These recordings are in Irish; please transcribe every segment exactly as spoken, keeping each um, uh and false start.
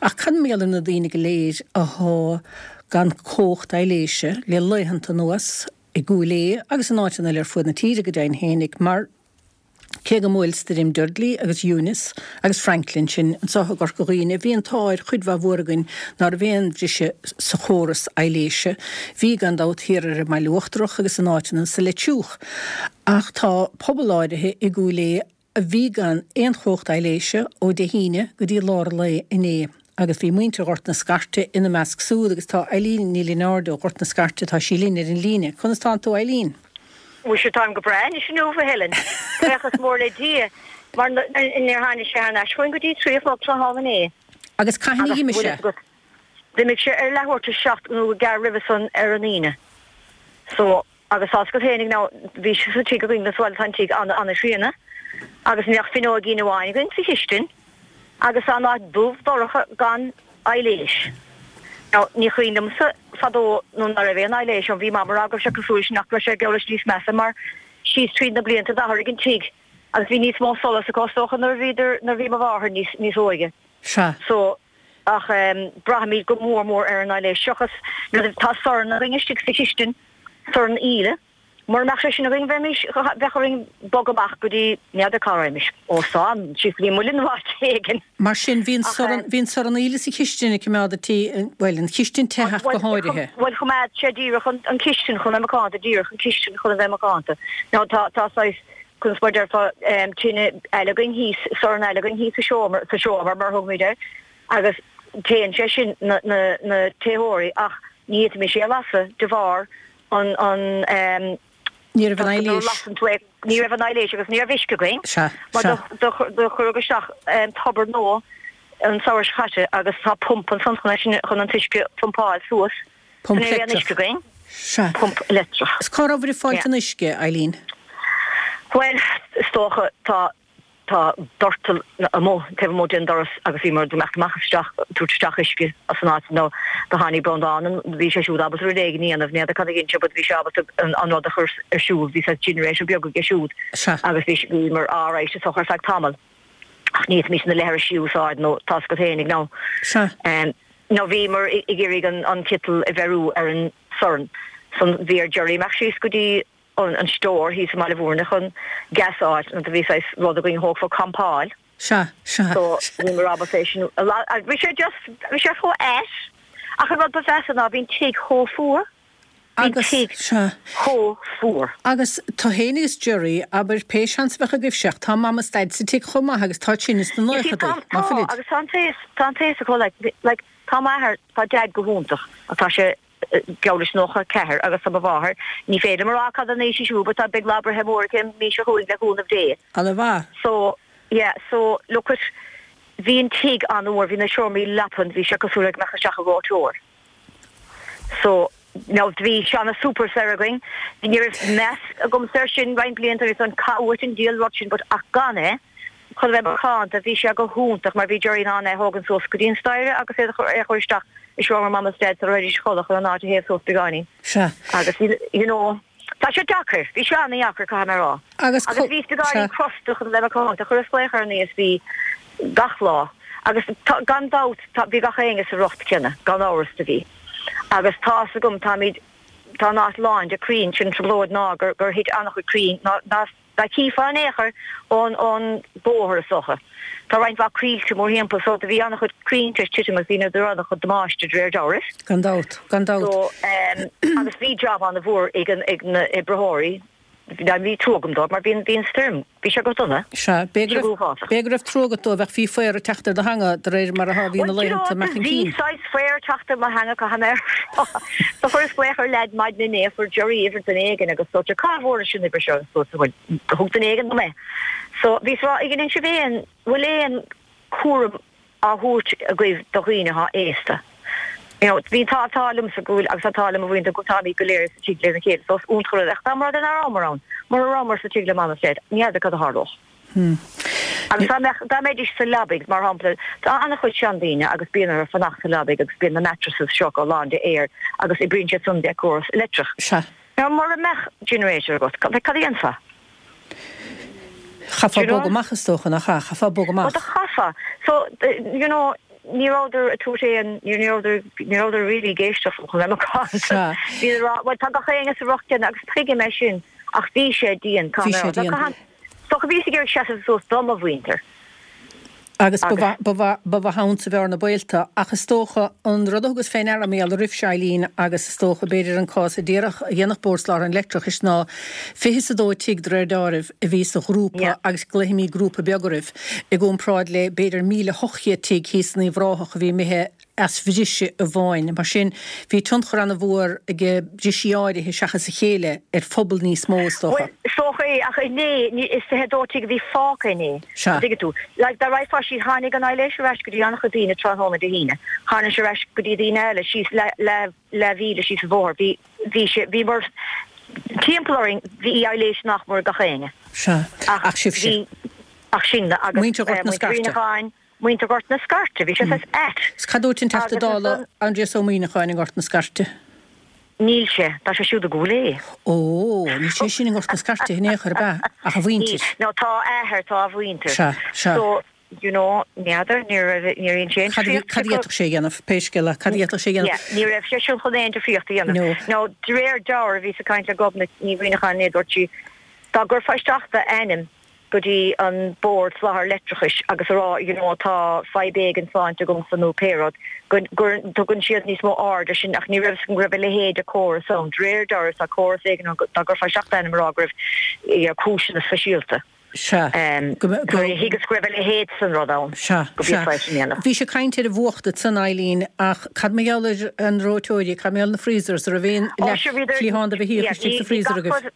Ach cad mar gheall ar na daoine go léir atá gan cumhacht aibhléise le laethanta anuas i gCúil Aodha agus in áiteanna eile ar fud na tíre go deimhin fhéinig mar cé go mbuail stoirm Dudley agus Eunice agus Franklin sinn anseo i gCorca Dhuibhne, bhí an t-ádh ar chuid mhaith mhór againn ná raibh aon bhriseadh sa chóras aibhléise. Bhí gan dabht thiar ar an mBaile Uachtarach agus in áiteanna sa Leitriúch. Ach tá pobal áirithe i gCúil Aodha a bhí gan aon chumhacht aibhléise ó Dé hAoine go dtí lár an lae inné. Agus bhí muintir Ghort na Scairte ina measc súd agus tá Eileen Ní Lionáird ó Ghort na Scairte, tá sí linn ar an líne. Conas tánn tú Eileen? Mhuise táim go breá anois inniu, a Helen. Buíochas mór le Dia, mar níor tháinig sé thar n-ais chugainn go dtí trí a chlog tráthnóna inné. Agus cathain a d'imigh sé? D'imigh sé ar leathuair tar éis a seacht nó gearr roimhe san ar an Aoine. So, agus tá's agat fhéinig now, bhí sé sa tigh againn sa bhaile, tá an tigh an-an-chríonna agus ní ach fuinneoigín amháin againn sa chistin agus tá an áit dubh dorcha gan aibhléis. Now, ní cuimhin liomsa fadó nuair ná raibh aon aibhléis ann, bhí Mam ag rá go raibh sé cosúil leis nach raibh sé geall leis níos measa mar síos tríd na blianta d'athraigh an tigh agus bhí níos mó solas acu is dócha nuair a bhíodar, nuair a bhí mo mháthair níos, níos óige. Sea. So, ach em braithimid go mór mór ar an aibhléis seachas nuair a, tá sorn againn istigh sa chistin, sorn aoile. Mura mbeadh sé sin againn bheimis, bheadh orainn bogadh amach go dtí, n'fheadar cá raghaimís, óstán, síos go dtí an Muileann nó áit éigin. Mar sin, bhí an sorn, bhí an sorn aoile sa chistin ag coimeád an tí, bhuel, an chistin te ach go háirithe. Bhuel, choimeád sé díreach an, an chistin chun a bheith macánta, díreach an chistin chun a bheith macánta. Now tá, tá saghas, conas mar a déarfá, tine eile againn thíos, sorn eile againn thíos sa seomra, sa seomra mar a thugaimid air, agus téann sé sin na, na, na téitheoirí ach ní fhéadfaimis é a lasadh de bharr an an ehm Ní raibh an nuair a lasann tú é ní raibh an aibhléis agus ní raibh uisce againn Sea, mar sea. do do do cuireadh isteach ehm tobar nua an samhradh seo caite agus tá pump ansan chun é sin chun an t-uisce a phumpáil suas so Pump ní raibh aon leictreach. uisce againn. Sea. Pump leictreach. Is cá rabhabhair ag fáilt Yeah. an uisce, Eileen? Bhuel is dócha tá Tá doirteal amuigh taobh amuigh den doras agus bhíomar ag imeacht amach isteach, tabhairt isteach uisce as an áit nó do tháinig Breandán an, bhí sé siúd ábalta rud éigin a dhéanamh, n'fheadar cad a dhein sé but bhí sé ábalta an, an rud a chur ar siúl, bhí saghas generator beag aige siúd Sea. agus bhí, bhíomar alright is dócha ar feadh tamaill ach ní fhéadfaimis na leithrisí a úsáid nó tá's agat fhéinig nó Sea. nó bhíomar ag iarraidh an, an citeal a bheiriú ar an sorn san bhí ar Jerry imeacht síos go dtí an stór thíos i mBaile Mhúirne chun gas a fháil nó do bhí saghas rud againn a thógfadh campáil. Sea, sea. So bhíomar ábalta é sin a la, bhí sé just, bhí sé chomh ait ach an rud ba mheasa ná bhí an tigh chomh fuar. Bhí an Agus, tigh sea. chomh fuar. Agus tú fhéin agus Jerry, abair, pé seans a bheadh agaibhse ach tá Mam is Daid sa tigh chomh maith agus tá sin sna You see, naochadaí, tá, ná tá, fuilid? agus tá an t-aos, tá an t-aos acu, like, like, tá m'athair, tá Dad go hiontach ach tá sé, geall leis nócha a ceathair agus tá mo mháthair, ní féidir liom a rá cad an aois í siúd but tá beidh lá breithe mór aici an mhí seo chugainn le cúnamh Dé. Ana mhaith. So, yeah, so look at, bhí an tigh an-fhuar, bhí na seomraí leapan, bhí sé cosúil le go mbeadh isteach i reoiteoir. So, now bhí seana Super-Serr againn, ní raibh meas agamsa air sin roinnt blianta agus an caith uait an diabhal rud sin but ach gan é, chun a bheith macánta, bhí sé go hiontach mar bhí Jerry in ann é a thógaint suas go dtí an staighre agus é a chur isteach i seomra Mam is Dad sula raghaidís a chodladh chun an áit a théamh suas beagáinín. Sea. Agus you know, tá sé deacair, bhí sé an-dheacair, caithfidh mé a rá. Agus Agus bhíos beagáinín sea. crosta chun a bheith macánta, chuireas glaoch ar an ESB gach lá agus tá, gan dabht, tá, bhí gach éinne sa riocht céanna, gan amhras do bhí. Agus tá's agam, táimid, tá an áit lán de crainn, sin an trioblóid ná gur, gur thit an-chuid crainn, ná, ná, Dá chífeá in aon chor ón ón bóthar is dócha. Tá roinnt mhaith coillte mórthimpeall so do bhí an-chuid crainn tar éis titim agus bhí na an-chuid damáiste de réir dealraimh. Gan dabht, gan dabht. So ehm agus bhí job an-mhór ag an ag na oibritheoirí. Bhí trua agam dóibh mar bhí an bhí an stoirm, bhí sé go dona. Sea, b'é Bhí go sé go raibh uafásach. b'é go raibh trua agat dóibh ach bhí faobhar ag teacht ar do theanga de réir mar atá bhí na Bhuel, do you know, laethanta amach chun bhí cinn. saghas faobhar ag teacht ar mo theanga, caithfidh mé a rá. So chuireas glaoch ar leaid maidin inné, fuair Jerry uimhir duine éigin agus dúirt sé, cá bhfuairis an uimhir seo? Agus dúirt bhuel, thug duine éigin dom é. So bhíos ag rá, an ndein sibh aon, bhfuil aon cúram á thabhairt agaibh do dhaoine atá aosta? You know, bhí an t-ádh liomsa go bhfuil, agus tá an t-ádh le mo mhuintir go táimid go léir sa tigh lena chéile, so is iontach an rud é. Ach dá mba rud é nach rabhamar ann, mura rabhamar sa tigh le Mam is Daid, ní fheadar cad a tharlódh. Agus dá mbeadh, dá mbeidís sa leabaidh, mar shampla, tá an-chuid seandaoine agus bíonn orthu fanacht sa leabaidh agus bíonn na mattresses seo acu lán de aer agus oibríonn siad san de córas leictreach. Sea. Now mura mbeadh generator agat, cad a dhéanfá? Chaithfeá Do you know? bogadh amach is dócha, nach ea? Chaithfeá bogadh Well, amach. do chaithfeá. So, you know, ní rabhadar ag tabhairt aon, ní rabhadar, ní rabhadar really ag éisteacht chun bheith macánta. Bhí a rá, bhuel tá gach éinne sa riocht céanna agus tuigim é sin ach bhí sé dian, Bhí sé dian. Is dócha bhíos ag iarraidh seasamh suas do mo mhuintir. Agus ba mhaith ann sa bhearna baolta, ach is dócha an rud a thugas fé ndeara mar gheall oraibhse Eileen agus is dócha b'fhéidir an cás a déarfadh a dhéanfadh Bord Soláthair an Leictreachais ná fiche is a dó tigh de réir deáraimh a bhí sa ghrúpa agus glaofaimid grúpa beag oraibh i gcomparáid le b'fhéidir míle hocht chéad tigh thíos in Uíbh Ráthach a bhí imithe as bhriseadh amháin. Mar sin, bhí tionchar an-mhór ag brisí áirithe seachas a chéile ar phobal níos mó, is dócha. Bhuel, is dócha é, ach inné, ní, is fiche a dó tigh a bhí fágtha inné. Sea. An dtuigeann tú? Like, dá raghfá síos, tháinig an aibhléis ar ais go dtí an-chuid daoine tráthnóna Dé hAoine. Tháinig sé ar ais go dtí daoine eile síos leath, leath, leathmhíle síos an bhóthar. Bhí, bhí sé, bhíomar timpeall orainn, bhí aibhléis nach mór ag gach éinne. Sea. Ach Ach sibhse. bhí, ach sinne agus, Muintir eh, Ghort na muintir Scairte. Mhuineacháin, Muintir Ghort na Scairte, bhí sé saghas ait. 'S cad dúirt an Teachta Agus Dála ansan. Aindrias Ó Muimhneacháin i nGort na Scairte? Níl sé, tá sé siúd i gCúil Aodha. Ó, níl sé sin i nGort na Scairte in aon chor, ab ea? Ach a Níl, mhuintir. nó tá a athair, tá a mhuintir. Sea, sea. So, you know, n'fheadar, ní raibh, níor dhein sé aon Cad a bhí, difríocht cad a d'fhéadfadh sé a dhéanamh, pé scéal é, cad a d'fhéadfadh sé a dhéanamh? Yeah, ní raibh sé sin chun aon difríocht a dhéanamh. No. Now, de réir dealraimh, bhíos ag caint le Gobnait Ní Mhuimhneacháin inné, dúirt sí, dá gcuirfeá isteach d'ainm, go dtí an Bord Soláthair Leictreachais agus a rá you know tá fadhb éigin sláinte agamsa nó pé rud, go dtugann siad níos mó aird ar sin ach ní raibh fhios agam go raibh a leithéid de chóras ann. De réir dealraimh tá córas éigin ann dá gcuirfeá isteach d'ainm a rá go raibh you know cúiseanna speisialta. Sea. Go mbe, go. Thuigeas go raibh a leithéid san rud ann. Sea, go sea. bhféadfá é sin a dhéanamh. Bhís ag caint ar an bhfuacht ansan, Eileen, ach cad mar gheall ar an reoiteoirí, cad mar gheall ar na freezers, an raibh aon Ó sure bhíodar, leathchliathán de bheithíoch yeah, istigh bhí sa bhí freezer gach agaibh? rud,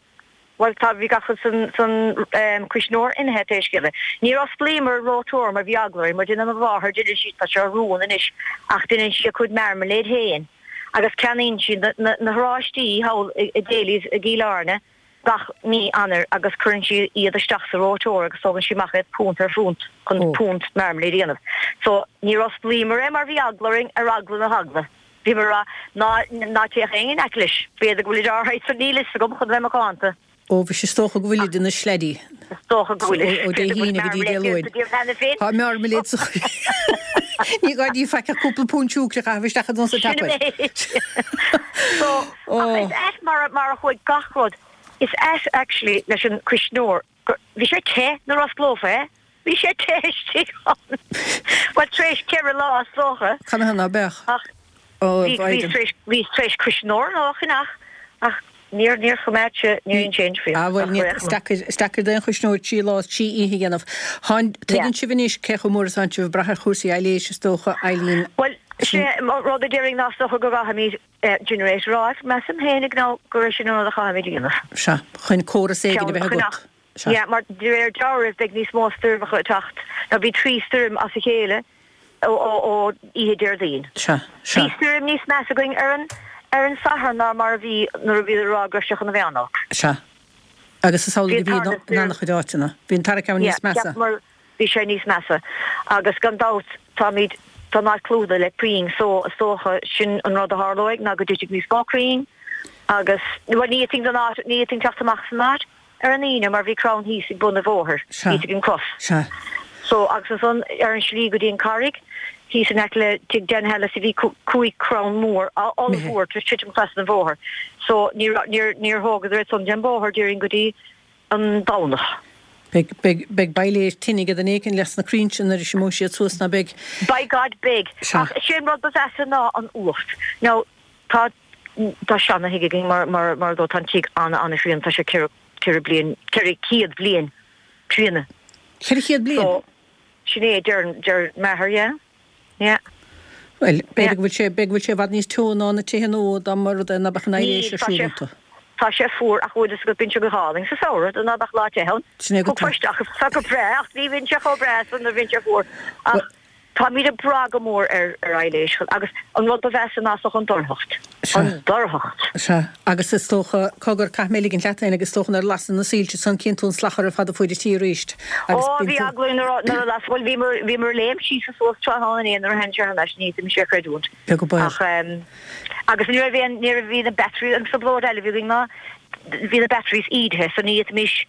Bhuel, tá, bhí gach rud san, san cuisneoir imithe, pé scéal é. Níor osclaíomar an reoiteoir mar bhí eagla orainn, mar déanann mo mháthair, deineann sí, tá sé rún anois, ach déanann sí a cuid marmalade féin agus ceannaíonn sí na, na, na horáistí thall i, i Daly's i gCill Airne gach mí Eanáir agus cuireann sí iad isteach sa reoiteoir agus tógann sí amach iad punt ar phunt chun Ó. punt marmalade a dhéanamh. So, níor osclaíomar é mar bhí eagla orainn ar eagla na heagla. Bhíomar ag rá, ná, ná téadh éinne in aice leis, b'fhéidir go bhfuilid alright, so níl fhios agam chun bheith macánta. Ó, bhí sé, is dócha go bhfuilid ina sleidí. Is dócha go bhfuilid. Ó Dé hAoine go dtí Dé Luain. Tá marmalade sa Ní gá di faic ach cúpla punt siúcra a chaitheamh isteach ansan sa Sin an tapa. méid. So, ach is ait mar, mar a chuaigh gach rud, is ait actually leis an cuisneoir, gur, bhí sé te nuair a osclófá é. Bhí sé te istigh ann. Bhuel, tar éis ceithre lá, is dócha. Canathaobh ná beadh? Ach Ó, bhí, bhíos tar éis, bhíos tar éis cuisneoir nua a cheannach, ach níor, níor choimeád sé, níor dhein sé aon difríocht. Ah, bhuel, Ach ní, réidh is deacair, is deacair d'aon chuisneoir trí lá is trí oíche a dhéanamh. Thánn, Yeah. tuigeann sibh anois cé chomh mór is atánn sibh ag brath ar chúrsaí aibhléise, is dócha, Eileen. Bhuel, Sin. sé an rud a déarfainn ná is dócha go gcaithfimid generator a fháil, measaim féinig nó gur é sin an rud a chaithfimid a dhéanamh. Sea, chun córas éigin a Ceann bheith a agat. choinneach. Sea. Yeah, mar de réir dealraimh beidh níos mó stoirmeacha ag teacht. Now bhí trí stoirm as a chéile ó ó ó oíche Déardaoin. Sea, sea. Bhí stoirm níos measa againn ar an ar an Satharn ná mar a bhí nuair a bhíodar ag rá go raibh sé chun a bheith an-olc. Sea. Agus is Bhí amhlaidh a an bhí tarna in stoirm. an-chuid áiteanna. Bhí an tarna ceann Yeah, níos measa. cheap mar bhí sé níos measa. Agus gan dabht táimid tá an áit clúdaithe le crainn so is dócha sin an rud a tharlóidh ná go dtitfidh níos mó crainn agus bhuel ní fhéadfainn an áit ní fhéadfainn teacht amach as an áit. ar an Aoine mar bhí crann thíos ag bun an bhóthair, Sea. thíos ag an gcros. Sea. So, agus ansan ar an slí go dtí an Carraig, thíos in aice le tigh Dan Hellis bhí cúig crann mór, ollmhór tar éis titim trasna an bhóthair. So, ní raibh, níor, níor thógadar iad san den bhóthar déarfainn go dtí an Domhnach. Beidh, beidh, beidh bailéid tine ag duine éicint leis na crainn sin nuair a imeoidh siad suas, ná beidh? By God, beidh. Sea. Ach sé an rud ba mheasa ná an fhuacht. Now, tá, tá seana-thigh againn mar, mar, mar dó, tá an tigh ana, ana-chríonna, tá sé ceithre, ceithre bliain, ceithre chéad bliain críonna. Ceithre chéad bliain? So, sin é, deir, deir m'athair, yeah. Yeah. Bhuel, b'fhéidir Yeah. go bhfuil sé, b'fhéidir go bhfuil sé i bhfad níos teo ná na tithe nua dá mba rud é ná beadh an Níl, aibhléis ar tá siúl sé, iontu. tá sé fuar ach bhfuil fhios agat bíonn sé go hálainn sa samhradh ná beadh lá te ann. Sin é go Thiocfá tá. isteach agus tá go breá ach ní bhíonn sé chomh breá san nuair a bhíonn sé fuar. Ach Bhuel, Táimid ag brath go mór ar ar aibhléis agus an rud ba mheasa ná is dócha an dorchacht. Sea. An dorchacht. Sea. Agus is dócha, cogar, caithfidh mé ligint leat féin agus is dócha nuair a lasann na soilse san cíonn tú an slachar ar fad ar fuaid an tí arís agus Ó, bíonn bhí tú. eagla orainn nuair a nuair a las, bhuel bhíomar bhíomar ag léim síos is suas tráthnóna inné nuair a tháinig sé thar n-ais, ní fhéadfaimis é a chreidiúint. Beag an baol. Ach ehm agus ní raibh aon ní raibh bhí na batteries an trioblóid eile a bhí againn ná bhí na batteries ídithe so ní fhéadfaimis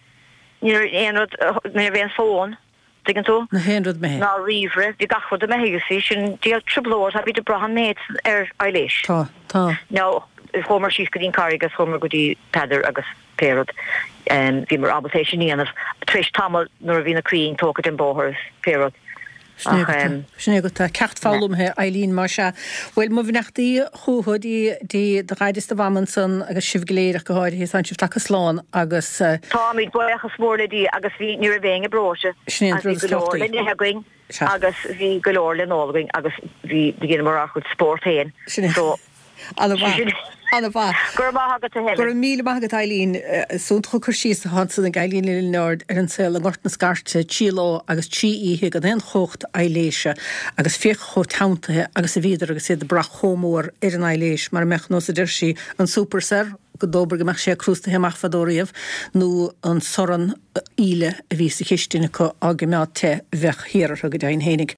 ní raibh aon rud ní raibh aon fón. tuigeann tú? Na haon rud imithe. Ná ríomhaire, bhí gach rud imithe, you see, sin díol trioblóid, tá bhí ag brath an méid ar aibhléis. Tá, tá. Now, chuamar síos go dtí an Carraig agus chuamar go dtí Peadar agus pé rud, bhíomar ábalta é sin a dhéanamh tar éis tamaill nuair a bhí na crainn tógtha den bóthar is pé rud. Sin é agat, sin é agat, tá ceacht foghlamtha, Eileen, más ea. Bhuel, mo bheannachtaí chucu dtí, dtí do dhaid is do mham ansan agus sibh go léir ach go háirithe, tánn sibh tagtha slán agus. Táimid, buíochas mór le Dia agus bhí, ní raibh éinne breoite Sin é an agus bhí rud is go leor tábhachtaí. le n-ithe againn Sea. agus bhí go leor le n-ól againn agus bhí, dheineamar ár gcuid spórt féin. Sin é. So, Ana-mhaith. Ana-mhaith. Go raibh maith agat a Go Helen. raibh míle maith agat Eileen. Is iontach an cur síos atá ansan ag Eileen Ní Lionáird ar an saol i nGort na Scairte trí lá agus trí oíche gan aon chumhacht aibhléise agus féach chomh teanntaithe agus a bhíodar agus iad ag brath chomh mór ar an aibhléis mar a mbeadh nós a deir sí an super soir go dóbair go mbeadh sé crústaithe amach fadó riamh nó an sorn íle a bhí sa chistin acu á gcoimeád te bheadh thiar orthu go deimhin fhéinig.